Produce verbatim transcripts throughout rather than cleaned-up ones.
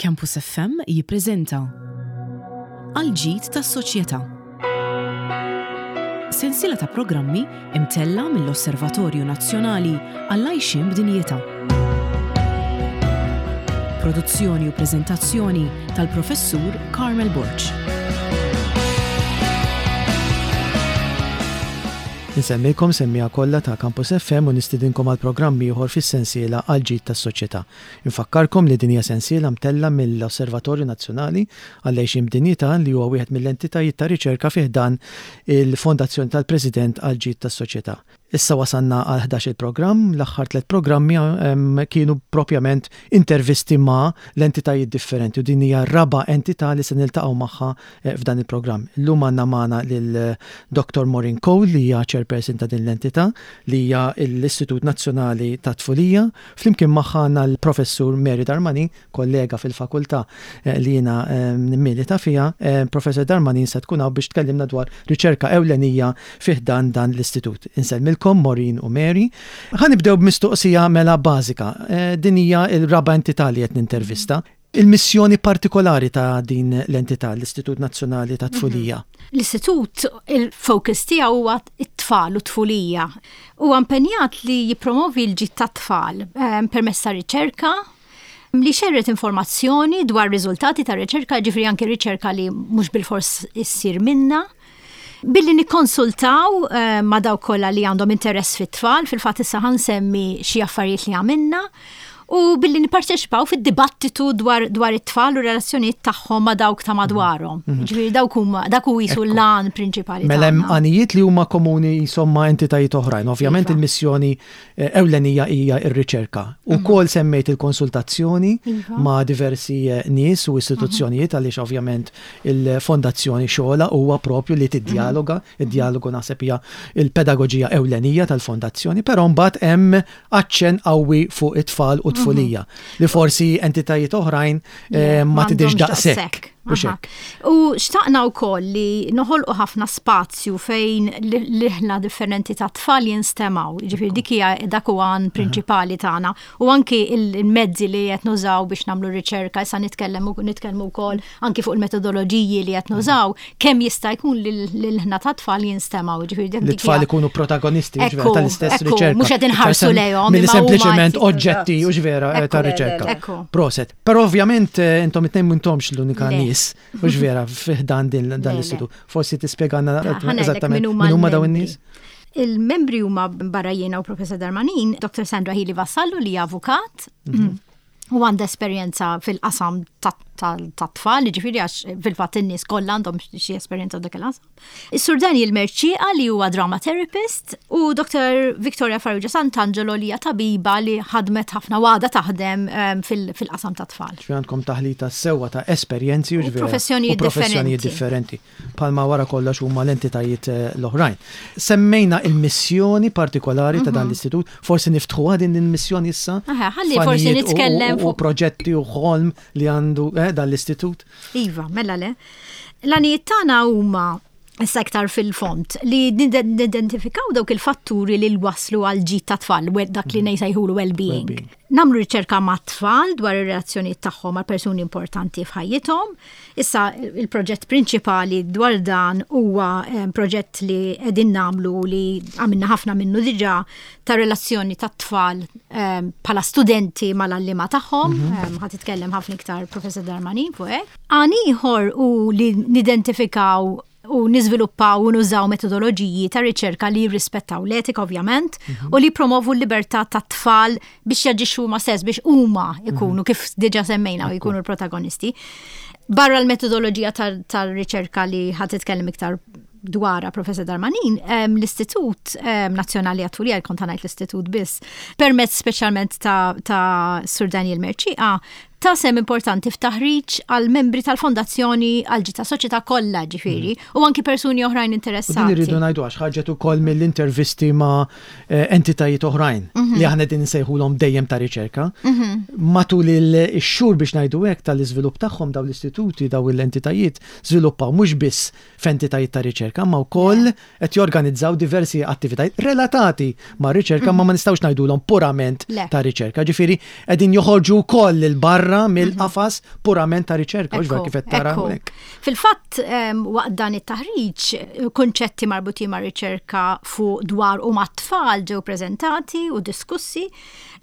Campus F M jippreżenta Għal-ġid tas-soċjetà. Sensiela ta' programmi imtella mill-Osservatorju Nazzjonali għall-Għajxien b'Dinjità. Produzzjoni u preżentazzjoni tal-Professur Carmel Borg. Insellmilkom, semmiegħa kollha ta' Campus F M, u nistidinkom għal programm ieħor fis-sensiela Għal-ġid tas-soċjetà. Infakkarkom li din hija sensiela mtella mill-Osservatorju Nazzjonali għall-Għixien b'Dinjità, li huwa wieħed mill-entitajiet ta' riċerka fi ħdan il-Fondazzjoni tal-President għal-ġid tas-soċjetà. Issa wasanna għal ħdax il-programm. L-aħħar tliet programmi em, kienu propjament intervisti ma' l-entitajiet differenti u din hija raba' entità li se niltaqgħu magħha eh, f'dan il-programm. Illum għandna magħna lil Doctor Maureen Cole, li hija chairperson ta' din l-entità, li hija l-Istitut Nazzjonali ta' Tfulija. Flimkien magħha għandna l-Professur Mary Darmanin, kollega fil-fakultà eh, li jiena eh, nimmilita fiha. Eh, Professor Darmanin se tkun hawn biex tkellimna dwar riċerka ewlenija fi ħdan dan l-istitut. Insellmilkom, Maureen u Mary. Ħa nibdew b'mistoqsija mela bażika. Eh, Din hija l-raba' entità li qed nintervista. Il-missjoni partikolari ta' din l-entità, l-Istitut Nazzjonali ta' Tfulija. L-istitut, il-focus tiegħu huwa it-tfal u tfulija. Huwa impenjat li jippromovi l-ġid tat-tfal eh, permezz ta' riċerka, li xerred informazzjoni dwar riżultati ta' riċerka, ġifieri anke riċerka li mhux bilfors issir minna, billi nikkonsultaw eh, ma' dawk kollha li għandhom interess fit-tfal. Fil-fatt issa ħa nsemmi xi affarijiet li għamilna, u billi nipparteċipaw fid-dibattitu dwar, dwar it-tfal u relazzjonijiet tagħhom ma' dawk ta' madwarhom. Ġifieri dawk huma dak hu jisu Ekku. l-għan prinċipali Mela hemm tagħna. għanijiet li huma komuni insomma entitajiet oħrajn. Ovvjament Iva. il-missjoni eh, ewlenija hija r-riċerka. Ukoll semmejt il-konsultazzjoni Iva. ma' diversi eh, nies u istituzzjonijiet, għaliex ovvjament il-fondazzjoni xogħla huwa propju li tiddialoga. Id-dialogu naħseb hija il-pedagoġija ewlenija tal-fondazzjoni, però mbagħad hemm aċċen qawwi fuq it-tfal u tfulija li forsi entitajiet oħrajn eh, ma tidhirx M'għandhomx daqshekk. Mhux Aha. hekk? U xtaqna wkoll li noħolqu ħafna spazju fejn l-ilħna differenti ta' tfal jinstemaw. Ġifieri dik hija dak huwa għan prinċipali tagħna. U anki il-mezzi li qed nużaw biex nagħmlu riċerka, issa nitkellem nitkellmu wkoll anki fuq il-metodoloġiji li qed nużaw, kemm jista' jkun li l-ilħna ta' tfal jinstemaw. Ġifieri dik Li dik tfal hija- ikunu protagonisti, Ekku, ġvera, tal-istess ekku, riċerka. mhux qed inħarsu Iktar lejhom, milli imma huma sempliċement qed- oġġetti u ġvera eh, Ekku, ta' riċerka. Ekku. Proset. Però ovvjament eh, intom it-tnejn m'intomx l-unika Le. nies, u ġvera, fi ħdan din dan Le, le. l-istitut. Forsi tispjegana Ħa ngħidlek eżattament min huma min huma dawn l-membri. in-nies? Il-membri huma, barra jiena u Professor Darmanin, Doctor Sandra Hili Vassallo, li hija avukat u għandha esperjenza fil-qasam ta' tfal, ġifieri għax fil-fatt in-nies kollha għandhom xi esperjenza f'dak il-qasam. Is-Sur Daniel Merċieqa, li huwa drama therapist, u Doctor Victoria Farrugia Sant'Angelo, li hija tabiba li ħadmet ħafna u għadha taħdem em, fil- fil-qasam ta' tfal. Ġifieri għandkom taħlita sewwa ta' esperjenzi u U ġvera, professjonijiet u professjonijiet differenti. Palma wara kollox huma l-entitajiet eh, l-oħrajn. Semmejna il-missjoni partikolari ta' dan l-istitut, forsi niftħuha din il-missjoni issa? Aha, ħalli forsi Fanijiet u- nitkellem u- u fuq- proġetti u ħolm li għandu eh, dan l-istitut. Iva, mela le. L-għanijiet tagħna huma, issa iktar fil-fond, li nidentifikaw dawk il-fatturi li l-waslu għal ġid ta' tfal, we- dak li nsejħulu well-being. Well-being. Nagħmlu riċerka ma' tfal dwar ir-relazzjonijiet tagħhom mal persuni importanti f'ħajjithom. Issa il-proġett prinċipali dwar dan huwa eh, proġett li qegħdin nagħmlu, li għamilna ħafna minnu diġà, ta' relazzjoni ta' tfal eh, bħala studenti mal-għalliema tagħhom. Eh, Ħa titkellem ħafna iktar Professor Darmanin fuq hekk. Għan ieħor u li nidentifikaw u niżviluppaw u nużaw metodoloġiji ta' riċerka li jirrispettaw l-etika ovvjament u li promovu l-libertà ta' tfal biex jaġixxu huma stess, biex huma ikunu, kif diġà semmejna, u jkunu l-protagonisti. Barra l-metodoloġija tal-riċerka li ħa titkellem iktar dwarha Professor Darmanin, em, l-Istitut em, Nazzjonali għat-Tfulija, kont ngħid l-Istitut biss, permezz speċjalment ta', ta Sur Daniel Merċieqa, ta sehem importanti f'taħriġ għal membri tal-Fondazzjoni għal ġid ta' soċjetà kollha, ġifieri, u anki persuni oħrajn U din interessati. irridu ngħidu għax ħarġet ukoll mill-intervisti ma' eh, entitajiet oħrajn Mhm. li aħna din nsejħulhom dejjem ta' riċerka. Matul il-xhur, biex ngħidu hekk, tal-iżvilupp tagħhom, dawn l-istituti, dawn l-entitajiet żviluppaw mhux biss f'entitajiet ta' riċerka, ma wkoll qed jorganizzaw diversi attivitajiet relatati ma' riċerka, ma ma nistgħux ngħidulhom purament Le. ta' riċerka. Ġifieri qegħdin joħorġu wkoll il barra barra mill-qafas purament ta' riċerka, u kif qed tara hawnhekk. Fil-fatt, waqt dan it-taħriġ, kunċetti marbutin ma' riċerka fuq dwar u mat-tfal ġew preżentati u diskussi.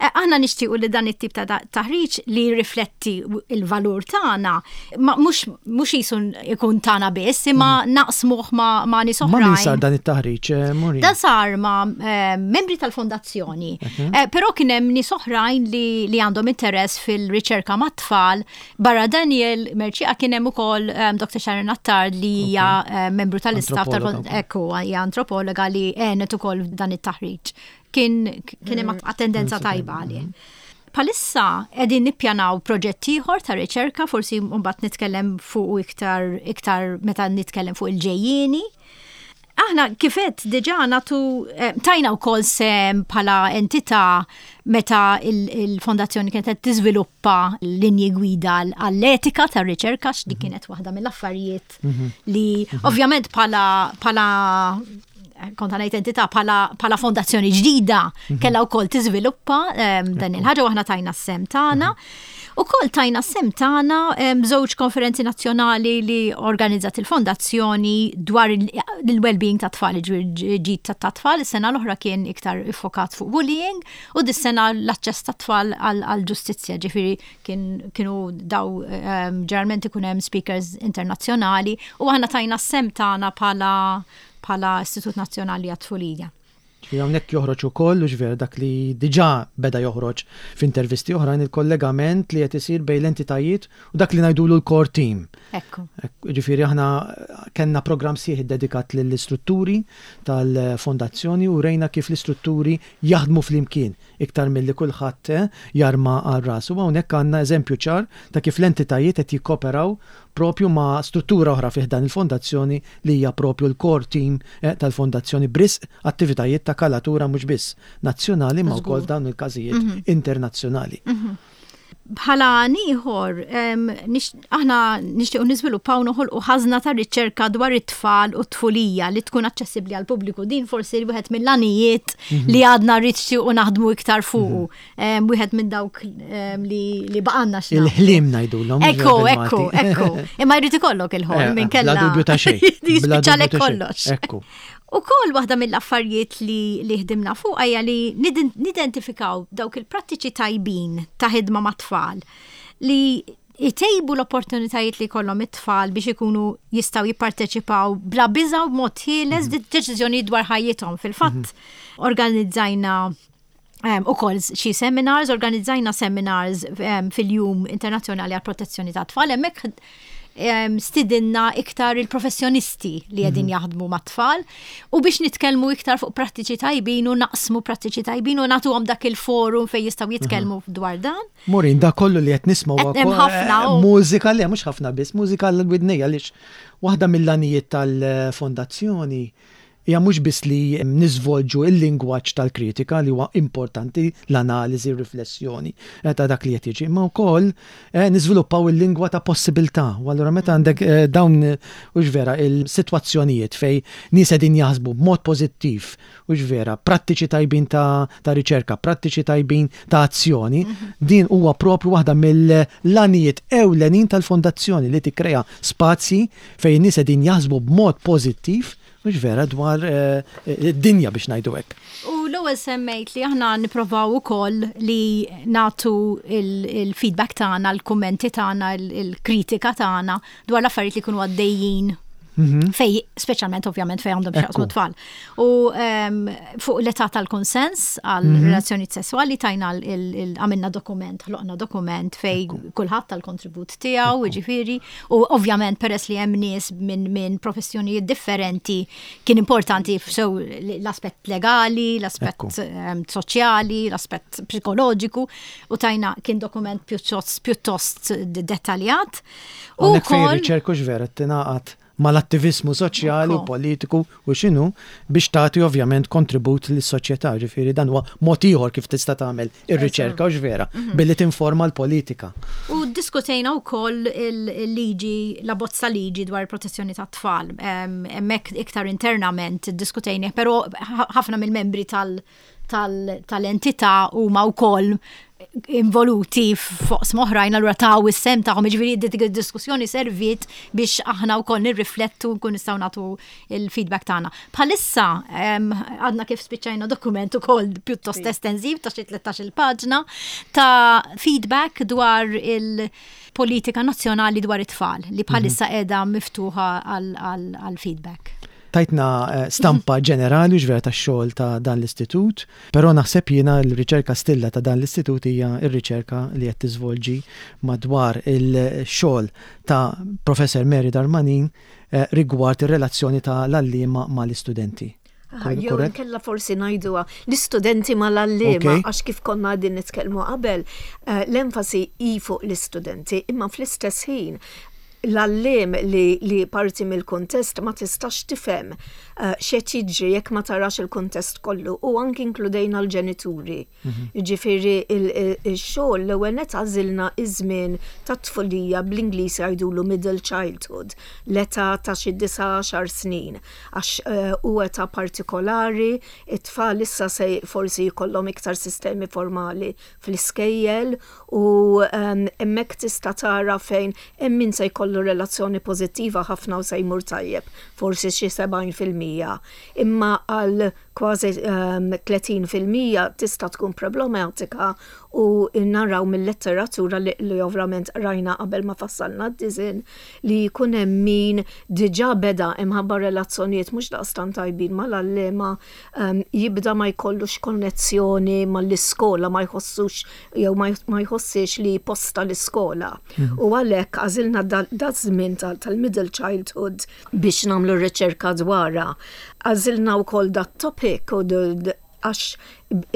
Eh, aħna nixtiequ li dan it-tip ta' taħriġ li rifletti il-valur tagħna, mhux mhux jisu ikun tagħna biss, imma mm. naqsmuh ma' ma' nies oħrajn. Ma' min sar dan it-taħriġ, eh, Maureen? Dan sar ma' eh, membri tal-fondazzjoni. Però kien hemm nies oħrajn li, li għandhom interess fil-riċerka mat-tfal. Barra Daniel Mercieca kien hemm ukoll Doktor Sharon Attard li hija membru tal-istaff tal-ekku, hija antropologa li għenet ukoll dan it-taħriġ. Kien kien hemm mm. attendenza tajba għalih. Bħalissa qegħdin nippjanaw proġett ieħor ta' riċerka, forsi mbagħad nitkellem fuq iktar iktar meta nitkellem fuq il-ġejjieni. Aħna kif għedt diġà nagħtu eh, tajna wkoll sehem bħala entità meta il-fondazzjoni kienet qed tiżviluppa linji gwida għall-etika tar-riċerka, x'di mhm. kienet waħda mill-affarijiet mhm. li mhm. ovvjament bħala bħala kont ngħid entità, bħala fondazzjoni ġdida kellha wkoll tiżviluppa dan il-ħaġa u aħna tajna s-sehem tagħna. Ukoll tajna s-sehem tagħna żewġ konferenzi nazzjonali li organizzat il-fondazzjoni dwar il-well-being ta' tfal, ġid ta' tfal. Is-sena l-oħra kien iktar iffokat fuq bullying u dis-sena l-aċċess ta' tfal għal-ġustizzja, ġifieri kienu daw ġeneralment ikun hemm speakers internazzjonali u aħna tajna s-sehem tagħna bħala bħala Istitut Nazzjonali għat-Tfulija. Hawnhekk joħroġ ukoll, u vera dak li diġà beda joħroġ f'intervisti oħrajn, il-kollegament li qed isir bejn l-entitajiet u dak li ngħidulu l-core team. Ekku. Ġifieri aħna kellna programm sħiħ dedikat lill-istrutturi tal-fondazzjoni u rejna kif l-istrutturi jaħdmu flimkien iktar milli kulħadd eh, jarma għal rasu. Hawnhekk għandna eżempju ċar ta' kif l-entitajiet qed jikkoperaw propju ma' struttura oħra fih dan il-fondazzjoni li hija propju l-core team eh, tal-fondazzjoni b'risq attivitajiet ta' kalatura mhux biss nazzjonali ma' wkoll dawn il-każijiet mhm. internazzjonali. Mhm. Bħala ieħor, aħna nixtiequ niżviluppaw, noħolqu ħażna ta' riċerka dwar it-tfal u t-tfulija li tkun aċċessibbli għal pubbliku. Din forsi wieħed mill-għanijiet mhm. li għadna nixtiequ naħdmu iktar fuqu. Mhm. Wieħed minn dawk li li baqgħalna x'na. Il-ħlim ngħidulhom. Ekku, ekku, ekku. Imma jrid ikollok il-ħolm eh, minn kella. Bla dubju ta' xejn. Jispiċċalek kollox. Ekku. Ukoll waħda mill-affarijiet li, li ħdimna fuq hija li nidentifikaw dawk il-prattiċi tajbin ta' ħidma mat-tfal li jtejbu l-opportunitajiet li kollhom it-tfal biex ikunu jistgħu jipparteċipaw bla biża u b'mod ħieles mm deċiżjoni dwar ħajjithom. Fil-fatt mhm. organizzajna Um, ukoll xi seminars, organizzajna seminars um, fil-Jum Internazzjonali għal Protezzjoni ta' Tfal, hemmhekk um, stidinna iktar il-professjonisti li qegħdin mm -hmm. jaħdmu mat-tfal u biex nitkellmu iktar fuq prattiċi tajbin u naqsmu prattiċi tajbin u nagħtuhom dak il-forum fejn jistgħu jitkellmu mm -hmm. dwar dan. Maureen, da kollu li qed nisma' ħafna mużika li mhux ħafna biss, mużika l-widnejja, għaliex waħda mill-għanijiet tal-fondazzjoni hija mhux biss li niżvolġu il-lingwaġġ tal-kritika li huwa importanti, l-analiżi, riflessjoni eh, ta' dak li qed jiġi, imma wkoll eh, niżviluppaw il-lingwa ta' possibilità. U allura meta għandek eh, dawn, hux vera, il-sitwazzjonijiet fejn nies qegħdin jaħsbu b'mod pożittiv, hux vera, prattiċi tajbin ta', ta riċerka, prattiċi tajbin ta' azzjoni, mhm. din huwa propju waħda mill-għanijiet ewlenin tal-fondazzjoni li tikkrea spazji fejn nies qegħdin jaħsbu b'mod pożittiv, mhux vera, dwar eh, id-dinja, biex ngħidu hekk. U l-ewwel semmejt li aħna nipprovaw ukoll li nagħtu il-feedback tagħna, l-kummenti tagħna, il-kritika tagħna dwar l-affarijiet li jkunu għaddejjin mhm. fej, speċjalment ovvjament fej għandhom x'jaqsmu tfal. U fuq l-età tal-konsens għal mhm. relazzjoni sessuali tajna għamilna dokument, ħloqna dokument fej kulħadd tal-kontribut tiegħu, ġifieri, u ovvjament peress li hemm nies minn min professjonijiet differenti kien importanti sew l-aspett legali, l-aspett soċjali, l-aspett psikoloġiku u tajna kien dokument pjuttost pjuttost dettaljat. U fejn riċerka vera tingħaqad mal-attivizmu soċjali u politiku u x'inhu biex tagħti ovvjament kontribut lis-soċjetà. Ġifieri dan huwa mod ieħor kif tista' tagħmel ir-riċerka, u vera, mhm. billi tinforma l-politika. U diskutejna wkoll il-liġi, la bozza liġi dwar il-protezzjoni tat-tfal. Hemmhekk iktar internament diskutejna, però ħafna mill-membri tal- tal-entità huma wkoll involuti f'oqsma oħrajn, allura taw is-sehem tagħhom, jiġifieri dik id-diskussjoni serviet biex aħna wkoll nirriflettu, nkun nistgħu nagħtu il-feedback tagħna. Bħalissa għadna kif spiċċajna dokument ukoll pjuttost estensiv ta' xi tlettax-il paġna ta' feedback dwar il-politika nazzjonali dwar it-tfal li bħalissa mhm. qiegħda miftuħa għal feedback. Tajtna eh, stampa ġenerali ġvera ta' xogħol ta' dan l-istitut, però naħseb jiena l-riċerka stilla ta' dan l-istitut hija r-riċerka li qed tiżvolġi madwar il-xogħol ta' Professor Mary Darmanin eh, rigward ir-relazzjoni ta' l-għalliema mal-istudenti. Jew kella forsi ngħiduha l-istudenti mal-għalliema, għax kif konna qegħdin nitkellmu qabel, eh, l-enfasi hi fuq l-istudenti, imma fl-istess ħin l-għalliem li, li parti mill-kontest ma tistax tifhem uh, x'qed jiġri jekk ma tarax il-kontest kollu, u anki inkludejna l-ġenituri. Mhm. Ġifieri il-xogħol, l-ewwel net għażilna iż-żmien tat-tfulija, bl-Ingliż jgħidulu middle childhood, l-età ta' xi disa' għaxar snin, għax uh, u età partikolari, it-tfal issa se forsi jkollhom iktar sistemi formali fl-iskejjel u um, hemmhekk tista' tara fejn hemm min se jkollu relazzjoni pożittiva ħafna u se jmur tajjeb, forsi xi sebgħin fil-mija. Imma għal kważi um, tletin fil-mija tista' tkun problematika u naraw mill-letteratura li, li ovvjament rajna qabel ma fassalna d-disinn li jkun hemm min diġà beda imħabba relazzjonijiet mhux daqstant tajbin mal-għalliema um, jibda ma jkollux konnessjoni mal-iskola, ma jħossux jew ma jħossix li posta l-iskola. Mm. U għalhekk għażilna da żmien tal-middle childhood biex nagħmlu riċerka dwarha. Għażilna wkoll dat topic u għax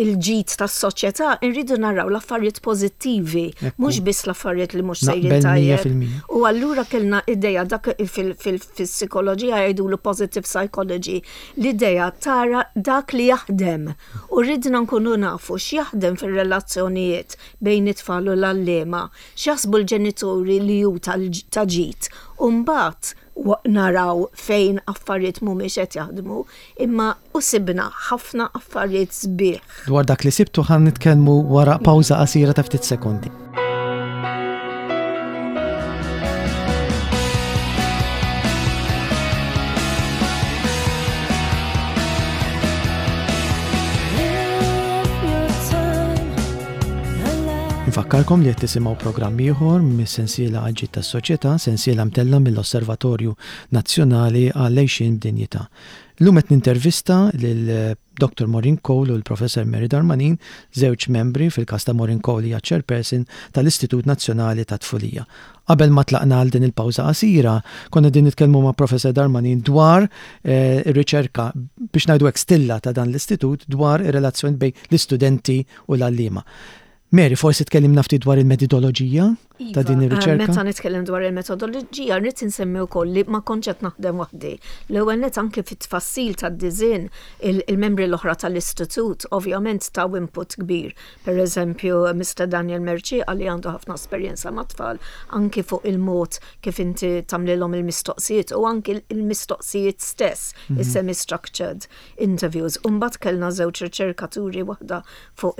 il-ġid tas-soċjetà irridu naraw l-affarijiet pożittivi, mhux biss l-affarijiet li mhux sejrin tajjeb. U allura kellna idea, dak fil-psikoloġija jgħidulu positive psychology, l-idea tara dak li jaħdem. U ridna nkunu nafu x'jaħdem fir-relazzjonijiet bejn it-tfal u l-għalliema, x'jaħsbu l-ġenituri li hu ta' ġid. U mbagħad naraw fejn affarijiet mhumiex qed jaħdmu, imma u sibna ħafna affarijiet sbieħ. Dwar dak li sibtu ħa nitkellmu wara pawża qasira ta' ftit sekondi. Nfakkarkom li qed tisimgħu programm ieħor mis-sensiela Għall-Ġid tas-Soċjetà, sensiela mtella mill-Osservatorju Nazzjonali għall-Għixien b'Dinjità. Illum qed nintervista lil Doctor Maureen Cole u l-Professor Mary Darmanin, żewġ membri, fil-każ ta' Maureen Cole hija chairperson tal-Istitut Nazzjonali ta' Tfulija. Qabel ma tlaqna għal din il-pawża qasira, konna din nitkellmu ma' Professor Darmanin dwar eh, ir-riċerka, biex ngħidu hekk, stilla ta' dan l-istitut dwar ir-relazzjoni bejn l-istudenti u l-għalliema. Mary, forsi tkellimna ftit dwar il-metodoloġija ta' din Iva, ir-riċerka? Meta nitkellem dwar il-metodoloġija, rrid insemmi wkoll li ma kontx qed naħdem waħdi. L-ewwel net anke fit-tfassil tad-disinn il-membri l-oħra tal-istitut ovvjament taw input kbir. Per eżempju, Mister Daniel Mercieca li għandu ħafna esperjenza ma' tfal anke fuq il-mod kif inti tagħmlilhom il-mistoqsijiet u anke il-mistoqsijiet stess, mhm. is-semi-structured interviews. Umbagħad kellna żewġ riċerkaturi, waħda fuq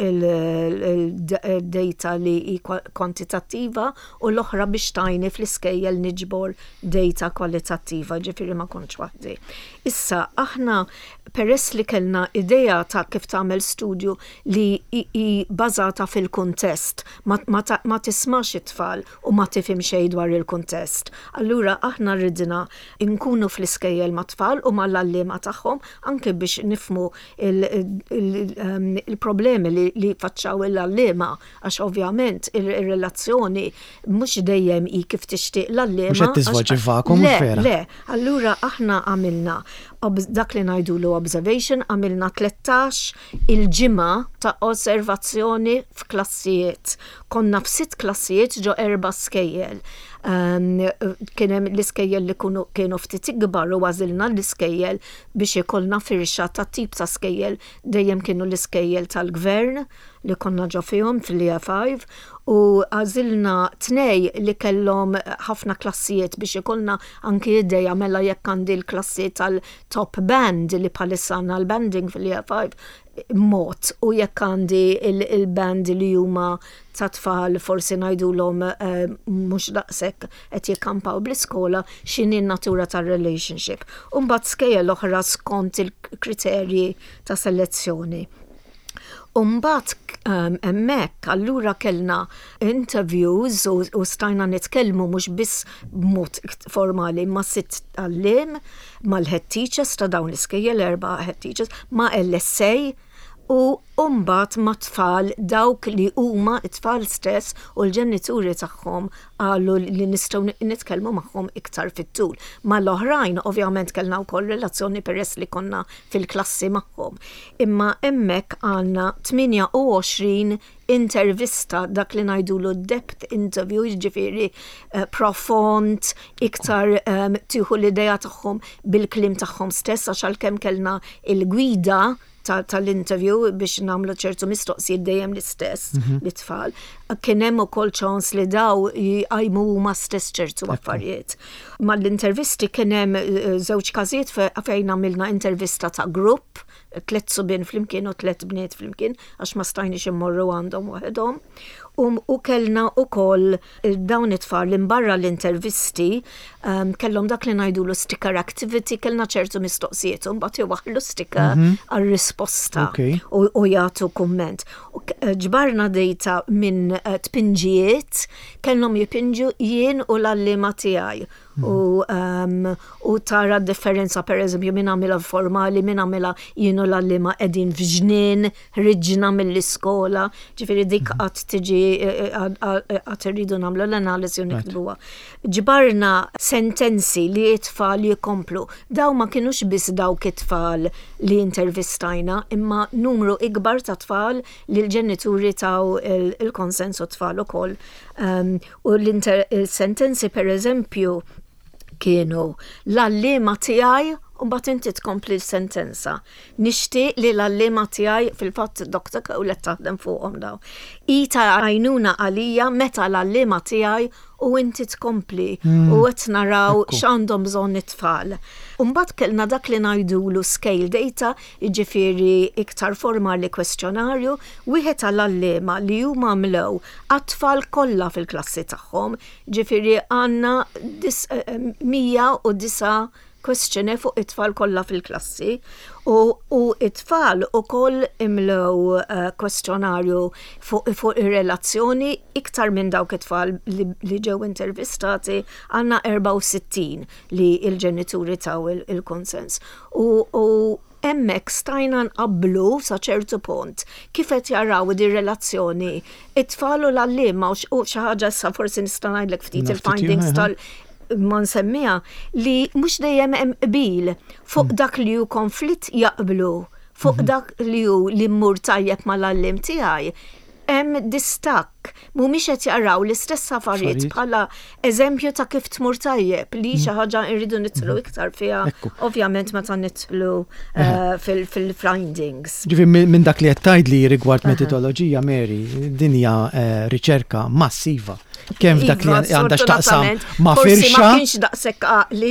il-data li hi kwantitattiva u l-oħra biex tgħinni fl-iskejjel niġbor data kwalitattiva, ġifieri ma kontx waħdi. Issa, aħna peress li kellna idea ta' kif tagħmel studju li hi bażata fil-kuntest, ma, ma, ma tismax it-tfal u ma tifhem xejn dwar il-kuntest. Allura aħna ridna nkunu fl-iskejjel ma' tfal u mal-għalliema tagħhom anke biex nifhmu il-problemi li, li faċċaw il-għalliema, għax ovvjament il-relazzjoni mhux dejjem hi kif tixtieq l-għalliema. Mhux qed tiżvolġi vakum. Le, le, allura aħna għamilna dak li ngħidulu observation, għamilna tlettax il-ġimgħa ta' osservazzjoni f'klassijiet. Konna f'sitt klassijiet ġo erba' skejjel. Um, kien hemm l-iskejjel li kunu kienu ftit ikbar u għażilna l-iskejjel biex ikollna firxa ta' tip ta' skejjel, dejjem kienu l-iskejjel tal-gvern, li konna ġo fihom fil-Year five u għażilna tnej li kellhom ħafna klassijiet biex ikollna anki ideja mela jekk għandi l-klassi tal-top band li bħalissa għandna l-banding fil-Year five mod u jekk għandi il-band li huma ta' tfal forsi ngħidulhom eh, mhux daqshekk qed jikkampaw bl-iskola, x'inhi n-natura tar-relationship. U mbagħad skejjel oħra skont il-kriterji ta' selezzjoni. Umbat um, hemmhekk allura kellna interviews u, u stajna nitkellmu mhux biss b'mod formali ma' sitt għalliem, mal-head teachers ta' dawn l-iskejjel, erba' head teachers, ma' L S A u mbagħad ma' tfal, dawk li huma it-tfal stess u l-ġenituri tagħhom qalu li nistgħu nitkellmu magħhom iktar fit-tul. Ma l-oħrajn ovvjament kellna wkoll relazzjoni peress li konna fil-klassi magħhom. Imma hemmhekk għandna tmienja u għoxrin intervista, dak li ngħidulu depth interview, jiġifieri uh, profond, iktar um, tieħu l-idea tagħhom bil-kliem tagħhom stess, għax għalkemm kellna il-gwida tal-interview biex nagħmlu ċertu mistoqsijiet dejjem l-istess mhm. lit-tfal. Kien hemm ukoll ċans li daw jqajmu huma stess ċertu affarijiet. Mal-intervisti kien hemm eh, żewġ każijiet fejn għamilna intervista ta' grupp, tliet subien flimkien u tliet bniet flimkien, għax ma stajniex immorru għandhom waħedhom. Um, u kellna ukoll dawn it-tfal li barra l-intervisti um, kellhom dak li ngħidulu sticker activity, kellna ċertu mistoqsijiet u mbagħad iwaħħlu sticker mm -hmm. għal-risposta okay. u, u jagħtu kumment. Ġbarna data minn eh, tpinġijiet, kellhom jipinġu jien u l-għalliema tiegħi u, um, u tara differenza, per eżempju, min għamilha formali, min għamilha jien u l-għalliema qegħdin f'ġnien, ħriġna mill-iskola, ġifieri dik mhm. għad tiġi, għad irridu nagħmlu l-analiżi u niktbuha. Ġbarna sentenzi li it-tfal jikomplu. Daw ma kienux biss dawk it-tfal li intervistajna, imma numru ikbar ta' tfal li l-ġenituri taw il-konsens u tfal ukoll. Um, u l-sentenzi, per eżempju, kienu "l-għalliema tiegħi" u mbagħad inti tkompli l-sentenza. "Nixtieq li l-għalliema tiegħi", fil-fatt Doctor Cowlet taħdem fuqhom daw. "I ta' għajnuna għalija meta l-għalliema tiegħi" u inti tkompli mm. u qed naraw x'għandhom bżonn it-tfal. Mbagħad kellna dak li ngħidulu scale data, jiġifieri iktar formali, kwestjonarju, wieħed għall-għalliema li huma mlew għat-tfal kollha fil-klassi tagħhom, ġifieri għandna eh, mija u disa' questionnaire fuq it-tfal kollha fil-klassi u, u it-tfal ukoll imlew uh, kwestjonarju fuq fu ir-relazzjoni, iktar minn dawk it-tfal li, li ġew intervistati, għandna erbgħa u sittin li il-ġenituri taw il-konsens. U, u hemmhekk stajna nqablu sa ċertu punt kif qed jaraw di relazzjoni it-tfal u l-għalliema u xi ħaġa issa forsi nista' ngħidlek ftit il-findings tal ma nsemmiha li mhux dejjem hemm qbil fuq mm. dak li hu konflitt jaqblu fuq mhm. dak li hu li mmur tajjeb mal-għalliem tiegħi hemm distakk, mhumiex qed jaraw l-istess affarijiet bħala eżempju ta' kif tmur tajjeb, li xi mm. ħaġa rridu nidħlu mm. iktar fiha, ovvjament, meta nidħlu eh, fil-findings. Ġifieri minn dak li qed tgħidli rigward metodoloġija, Mary, din hija eh, riċerka massiva kemm f'dak li iva, għandha x'taqsam ma' firxa.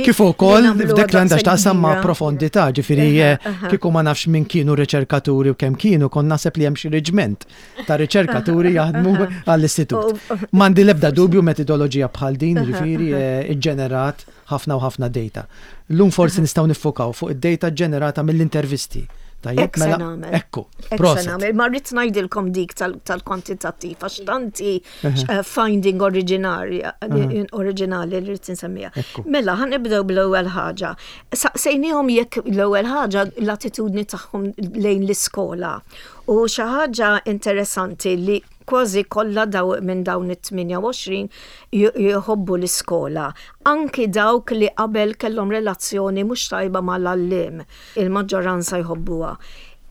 Kif ukoll f'dak li għandha x'taqsam ma' profondità, ġifieri eh, kieku ma nafx min kienu riċerkaturi u kemm kienu, kon naħseb li hemm xi reġment ta' riċerkaturi jaħdmu għall-istitut. M'għandi l-ebda dubju metodoloġija bħal din, ġifieri eh, iġġenerat ħafna u ħafna data. Llum forsi nistgħu niffokaw fuq id-data ġenerata mill-intervisti. Tajjeb, mela, ekku, proset. Ma rrid ngħidilkom dik tal-kwantitattiv, għax tanti eh, finding oriġinali oriġinali li rrid nsemmiha. Mela, ħa nibdew bl-ewwel ħaġa. Saqsejniehom jekk l-ewwel ħaġa l-attitudni tagħhom lejn l-iskola. U xi ħaġa interessanti li kważi kollha daw minn dawn it-tmienja u għoxrin jħobbu l-iskola. Anki dawk li qabel kellhom relazzjoni mhux tajba mal-għalliem, il-maġġoranza jħobbuha.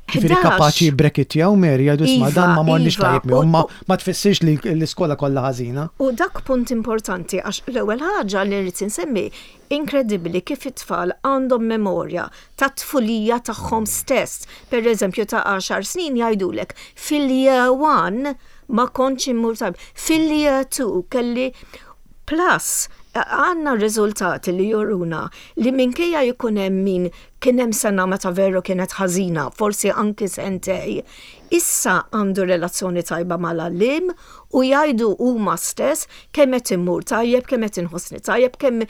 Ġifieri kapaċi breakjaw Mary, jgħidu isma' dan ma morniex iva, tajjeb miegħu, ma ma tfissirx li l-iskola kollha ħażina. U dak punt importanti, għax l-ewwel ħaġa li rrid insemmi, inkredibbli kif it-tfal għandhom memorja ta' tfulija tagħhom stess. Per eżempju, ta' għaxar snin jgħidulek fil-year one ma kontx immur tajb, fil-year two kelli. Plus, għandna riżultati li juruna li minkejja jkun hemm min kien hemm sena meta veru kienet ħażina, forsi anki sentej, issa għandu relazzjoni tajba mal-għalliem u jgħidu huma stess kemm qed immur tajjeb, kemm qed inħossni tajjeb, kemm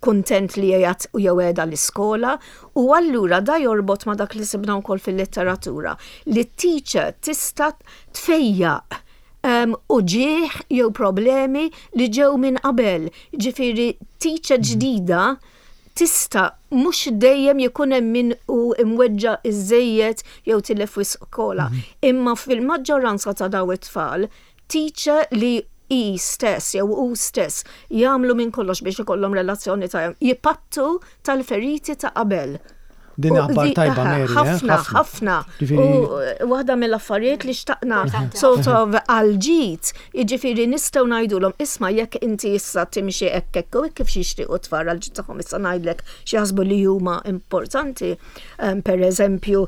kuntent li qiegħed u jew qiegħda l-iskola. U allura da jorbot ma dak li sibna wkoll fil-letteratura li t-teacher tista' tfejjaq um, uġigħ jew problemi li ġew minn qabel. Ġifieri, teacher ġdida tista' mhux dejjem jkun hemm min hu imweġġa' iżejjed jew tilef skola. Imma fil-maġġoranza ta' daw it-tfal, teacher li i stess jew u stess jagħmlu minn kollox biex ikollhom relazzjoni tajjeb, jipattu tal-feriti ta' qabel. Din U aħbar di- tajba, aha, Mary, eh? Ħafna, ħafna. Ġifieri- U waħda mill-affarijiet li xtaqna sort of għal-ġid, jiġifieri nistgħu ngħidulhom isma' jekk inti issa timxi hekk hekk u hekk, kif jixtiequ tfal għal-ġid tagħhom. Issa ngħidlek xi li huma importanti. Um, per eżempju,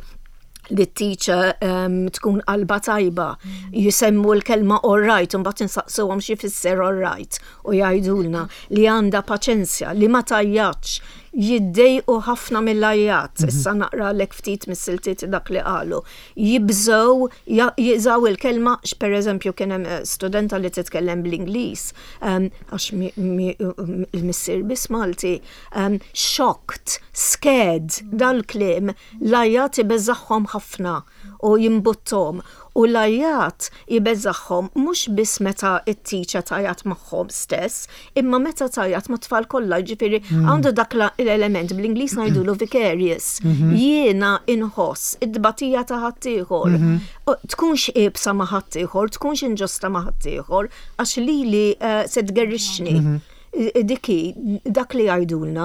li t-teacher um, tkun qalba tajba, jisemmu l-kelma all right, un bat insaqsuhom xi fisser all right, u jgħidulna li għandha paċenzja, li ma tgħajjatx, jiddejqu ħafna mill-għajjat, issa naqralek ftit mis-siltiet dak li qalu. Jibżgħu, ja- jużaw il-kelma, per eżempju kien hemm eh, studenta li titkellem bl-Ingliż, um, għax mi- mi- il-missier biss Malti, um, shocked, scared, dal-kliem, l-għajjat ibeżżagħhom ħafna u jimbuttom. U l-għajjat ibeżżagħhom mhux biss meta it-teacher tgħajjat magħhom stess, imma meta tgħajjat ma' tfal kollha, ġifieri għandu dak la- l-element bl-Ingliż ngħidulu vicarious. Jiena inħoss id-dbatija ta' ħaddieħor. U tkunx iebsa ma' ħaddieħor, tkunx inġusta ma' ħaddieħor, għax lili eh, se tgerrixni. Diki, dak li jgħidulna.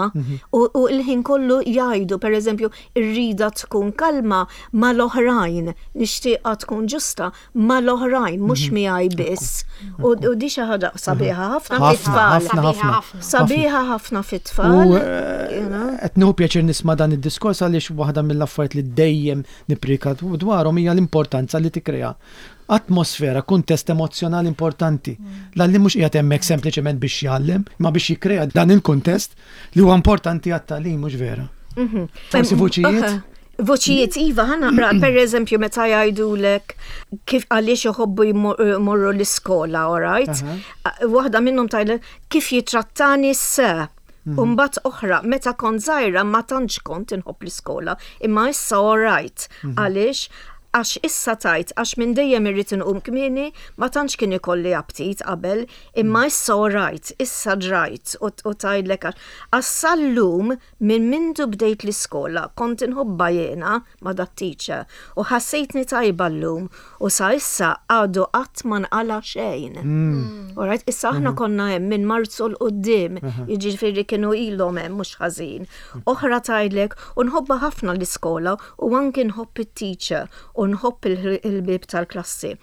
U, u l-ħin kollu jgħidu, per eżempju, irrida tkun kalma mal-oħrajn, nixtieqa tkun ġusta mal-oħrajn, mhux miegħi biss. U, u di xi ħaġa sabiħa ħafna Ħafna, fit-tfal. ħafna, ħafna. Sabiħa ħafna fit-tfal. U eh, qed nieħu pjaċir nisma' dan id-diskors għaliex waħda mill-affarijiet li dejjem nipprika dwarhom hija l-importanza li tikkrea atmosfera, kuntest emozjonali importanti. L-għalliem mhux qiegħed hemmhekk sempliċement biex jgħallem, ma biex jikkrea dan il-kuntest li huwa importanti għat-tagħlim, mhux vera? Forsi vuċijiet? Voċijiet, iva, ħa naqra, per eżempju, meta jgħidulek kif għaliex iħobbu jmorru l-iskola, all right? Waħda minnhom tgħidlek kif jitrattani s-sir. Umbat oħra, meta kont żgħira ma tantx kont inħobb l-iskola, imma issa all right. Għaliex? Għax issa tajt, għax minn dejjem irrid inqum kmieni, ma tantx kien ikolli aptit qabel, imma issa all right, issa ġrajt u u tgħidlek għax għax sal-lum minn mindu bdejt l-iskola kont inħobba jiena ma dat-teacher u ħassejtni tajba llum u sa issa għadu qatt ma nqala xejn. All right, issa aħna konna hemm minn Marzu 'l quddiem, jiġifieri kienu ilhom hemm mhux ħażin. Oħra tgħidlek u nħobba ħafna l-iskola u anki nħobb it-teacher u nħobb il- il-bib tal-klassi.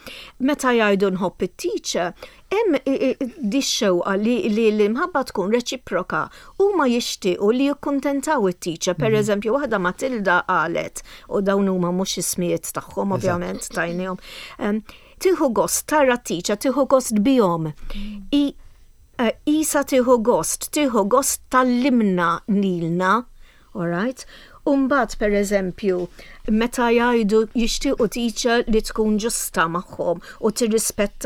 Meta jgħidu nħobb it-teacher, hemm i- i- di xewqa li li l-imħabba tkun reċiproka u ma jixtiequ li jikkuntentaw it-teacher. Per eżempju, waħda Matilda qalet, u dawn huma mhux ismijiet tagħhom ovvjament tajnihom. Em, Tieħu gost tara t-teacher, tieħu gost bihom. I eh, Isa tieħu gost, tieħu gost tgħallimna lilna, all right? Umbat, per eżempju, meta jgħidu jixtiequ teacher li tkun ġusta magħhom u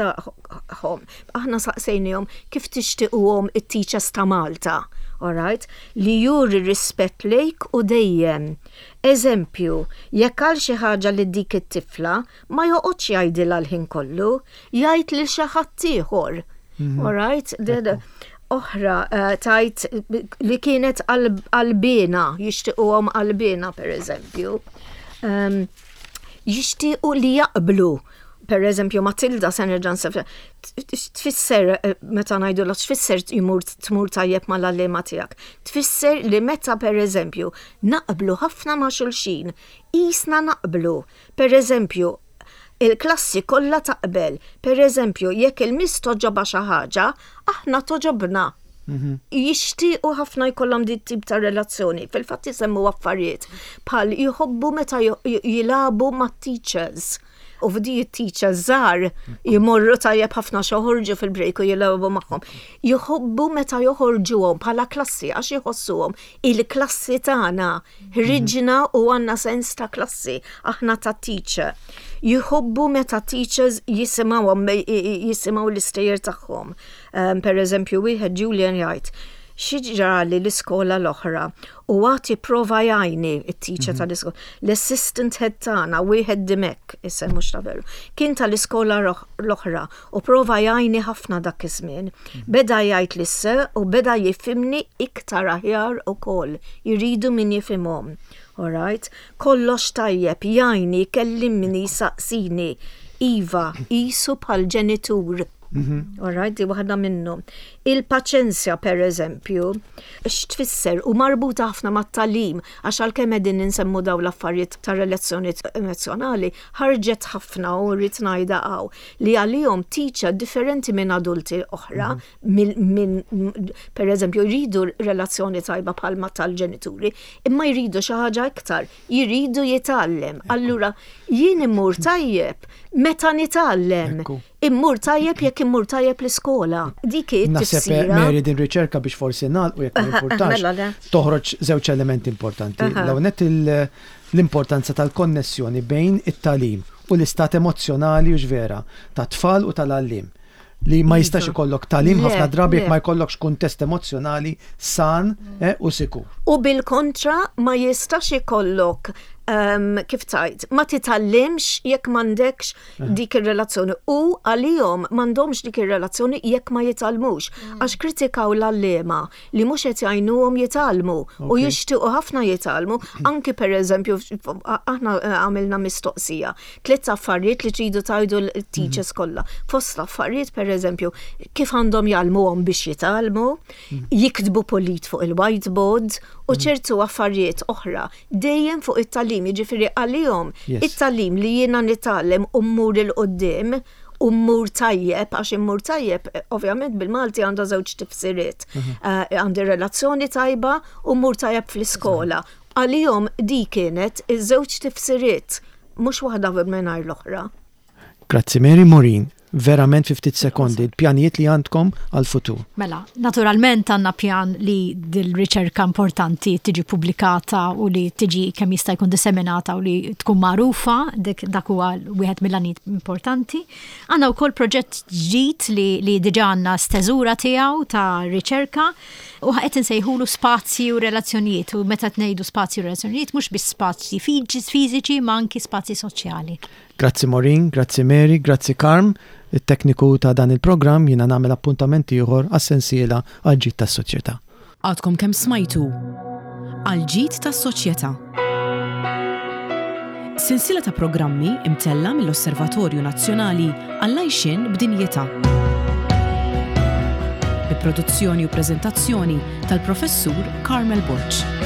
tirrispettahom. Aħna saqsejnihom kif tixtiequhom it-teachers ta' Malta, all right? Li juri rispett lejk u dejjem. Eżempju, jekk għal xi ħaġa li dik it-tifla ma joqgħodx jgħidilha l-ħin kollu, jgħid lil xi ħadd ieħor. All right? Ded- Oħra eh, tajt li kienet qalbiena, jixtiequhom qalbiena per eżempju. Um, jixtiequ li jaqblu. Per eżempju, Matilda se nerġa' nsef- tfisser eh, meta ngħidu la tfisser jmur tmur tajjeb mal-għalliema tiegħek. Tfisser li meta per eżempju naqblu ħafna ma' xulxin, qisna naqblu. Per eżempju, il-klassi kollha taqbel. Per eżempju, jekk il-miss togħġobha xi ħaġa, aħna togħġobna. Jixtiequ ħafna jkollhom dit tip ta' relazzjoni. Fil-fatt isemmu affarijiet bħal jħobbu meta jilagħbu mat-teachers. U fdi teachers żgħar jmorru tajjeb ħafna joħorġu fil-break u jilagħbu magħhom. Jħobbu meta joħorġuhom bħala klassi għax jħossuhom il-klassi tagħna ħriġna u għandna sens ta' klassi, aħna ta' teacher. Jħobbu meta teachers jisimgħuhom jisimgħu l-istejjer tagħhom. Um, per eżempju, wieħed Julian jgħid, xi ġrali l-iskola l-oħra u għati prova jgħinni it-teacher mm -hmm. tal-iskola. L-assistant head tagħna wieħed Dimek, isem mhux ta' veru, kien tal-iskola l-oħra u prova jgħinni ħafna dak iż-żmien. Mm -hmm. Beda jgħid lis-sir u beda jifhimni iktar aħjar ukoll, jridu min jifhimhom. Alright? Kollox tajjeb, jgħinni, kellimni, saqsini. Iva, qisu bħal ġenitur. Mm Alright, di waħda minnhom. Il-paċenzja, per eżempju, x'tfisser u marbuta ħafna mat-tagħlim, għax għalkemm qegħdin insemmu daw l-affarijiet ta' relazzjoni emozjonali, ħarġet ħafna u rrid ngħidha hawn li għalihom teacher differenti minn adulti oħra, minn per eżempju jridu relazzjoni tajba bħalma tal-ġenituri, imma jridu xi ħaġa iktar, jridu jitgħallem. Allura jien immur tajjeb meta nitgħallem. Immur tajjeb jekk immur tajjeb l-iskola. Dik Naħseb Mary din riċerka biex forsi nagħlqu jekk ma importanx. Mela, toħroġ żewġ elementi importanti. L-ewwel l-importanza tal-konnessjoni bejn it-tagħlim u l-istat emozjonali u ġvera ta' tfal u tal-għalliem li ma jistax ikollok tagħlim ħafna drabi jekk ma jkollokx kuntest emozjonali san eh, u sikur. U bil-kontra ma jistax ikollok um, kif tajt, ma titgħallimx jekk m'għandekx dik ir-relazzjoni u għalihom m'għandhomx dik ir-relazzjoni jekk ma jitgħallmux. Mm. Għax kritikaw l-għalliema li mhux qed jgħinuhom jitgħallmu u jixtiequ ħafna jitgħallmu, anki per eżempju aħna eh, għamilna mistoqsija, tliet affarijiet li tridu tgħidu l-teachers mm. kollha. Fost affarijiet per eżempju kif għandhom jgħallmuhom biex jitgħallmu, mm. jiktbu pulit fuq il-whiteboard u mm. ċertu affarijiet oħra dejjem fuq it-tagħlim, jiġifieri għalihom it-tagħlim li jiena nitgħallem u mmur 'il quddiem u mmur tajjeb, għax immur tajjeb, ovvjament bil-Malti għandha żewġ tifsiriet. Mhm. Eh, għandi relazzjoni tajba u mmur tajjeb fl-iskola. Għalihom di kienet iż-żewġ tifsiriet, mhux waħda mingħajr l-oħra. Grazzi Mary Maureen, verament fi ftit sekondi, il-pjanijiet li għandkom għal-futur. Mela, naturalment għandna pjan li dil-riċerka importanti tiġi pubblikata u li tiġi kemm jista' jkun disseminata u li tkun magħrufa, dik dak huwa wieħed mill-għanijiet importanti. Għandna wkoll proġett ġdid li, li diġà għandna steżura tiegħu ta' riċerka u qed insejħulu spazji u relazzjonijiet u meta tnejdu spazji u relazzjonijiet mhux biss spazji fiżiċi ma anki spazji soċjali. Grazzi Maureen, grazzi Mary, grazzi Carm, il-tekniku ta' dan il-programm jiena nagħmel appuntament ieħor għas-sensiela għal-ġid tas-soċjetà. Għadkom kemm smajtu għal-ġid tas-soċjetà. Sensiela ta' programmi imtella mill-Osservatorju Nazzjonali għall-Għajxien b'Dinjità. Bi produzzjoni u preżentazzjoni tal-Professur Carmel Borg.